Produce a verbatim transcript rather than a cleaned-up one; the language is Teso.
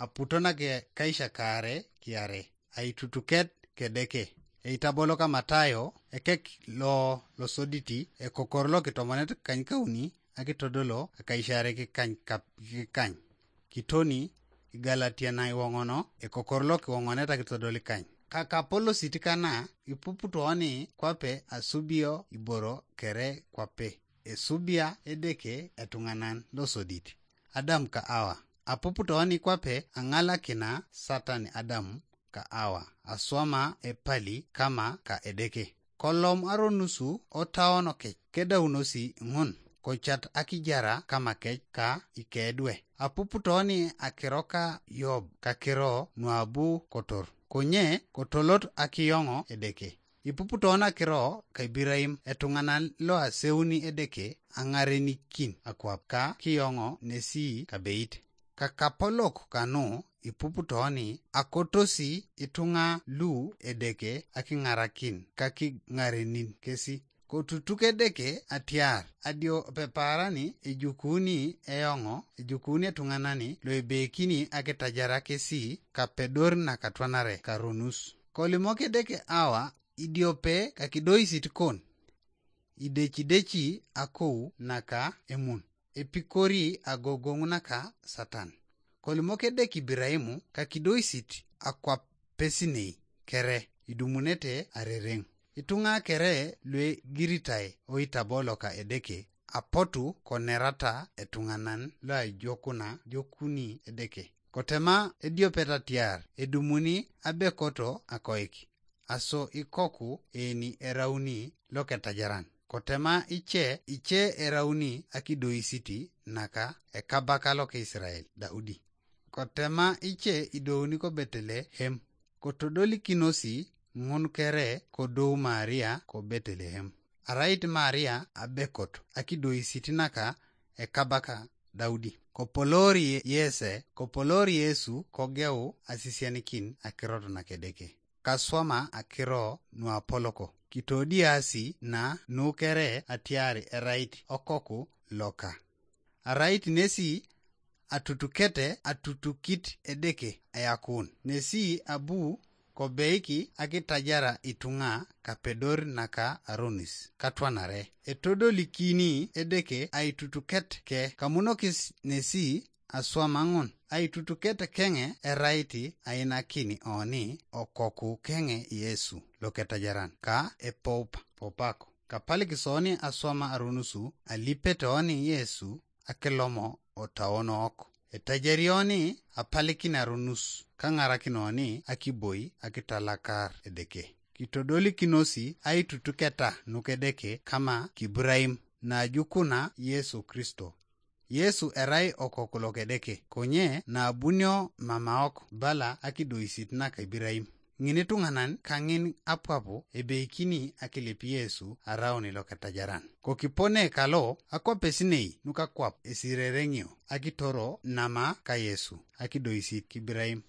aputo nake kaisha kaare kiare, aitutuket kedeke. Eitabolo ka Matayo, ekek lo losoditi, ekokor lo kitomonet kany kauni, akitodolo akaisha are kikany kap-, kikany. Kitoni, Igalatia na iwong'ono, ekokor lo kiwong'onet akitodoli kany. Kakapolosit kana, ipuputooni kwape asubio iboro kere kwape. Esubia Edeke etuŋanan losodit, Adam ka Awa. Apuputooni kwape aŋalakina Satan Adam ka Awa, aswama epali kama ka Edeke. Kolom aronusu otaonokec, kedaunosi ŋun, kocat akijara kamakec ka ikedwe. Apuputooni akiro ka Yob, kakiro nuabu kotor. Konye kotolot akiyoŋo Edeke. Ipuputoon akiro ka Iburaim, etuŋanan lo aseuni Edeke aŋarenikin akwap ka kiyoŋo nesi kabeit. Kakapolok kanu ipuputooni akotosi ituŋa lu Edeke akiŋarakin kakiŋarenin kesi. Kotutuk Edeke atiar adio pepaarani ejukuni eoŋo, ejukuni etuŋanani loebeikini akitajara kesi kapedor nakatwanare karonus. Kolimok Edeke Awa idiope kakidoisit kon, idecideci akou naka emun, epikori agogoŋ naka Satan. Kolimok Edeke Ibiraimu kakidoisit akwapesinei kere idumunete arereŋ. Ituŋa kere luegiritai oitabo loka Edeke apotu konerata etuŋanan loajokuna jokuni Edeke. Kotema ediopet atiar edumuni abekoto akoik. Aso ikoku eni erauni loketajaran. Kotema ice, ice erauni akidoisiti naka ekabaka loka Israel, Daudi. Kotema ice idouni ko Betelehem. Kotodolikinosi ŋun kere kodou Maria ko Betelehem. Arait Maria abekot akidoisit naka ekabaka Daudi. Kopolor Ye-, Yese, kopolor Yesu kogeu asisianikin akirot nakedeke. Kaswama akiro nuapoloko. Kitodiasi na nukere atiari erait okoku loka. Arait nesi atutukete atutukit Edeke ayakun. Nesi abu kobeiki akitajara ituŋa kapedor naka aronis katwanare. Etodolikini Edeke aitutuket ke kamunokis nesi aswama ŋun. Aitutuket keŋe erait ainakini oni okoku keŋe Yesu loketajaran ka epoupa popako. Kapalik soni aswama aronusu alipet oni Yesu akilomo otaonok. Etajarioni apalikin aronus kaŋarakinoni akiboi akitalakar Edeke. Kitodolikinosi aitutuketa nukedeke kama kiburaim najukuna Yesu Kristo. Yesu erai okoku lokedeke, konye nabunio mamaok bala akidoisit naka Ibiraim. Ŋin ituŋanan kaŋin apwapu ebeikini akilip Yesu arauni loketajaran. Kokipone kalo akwapesinei nukakwap esirereŋio akitoro nama ka Yesu akidoisit kibiraim.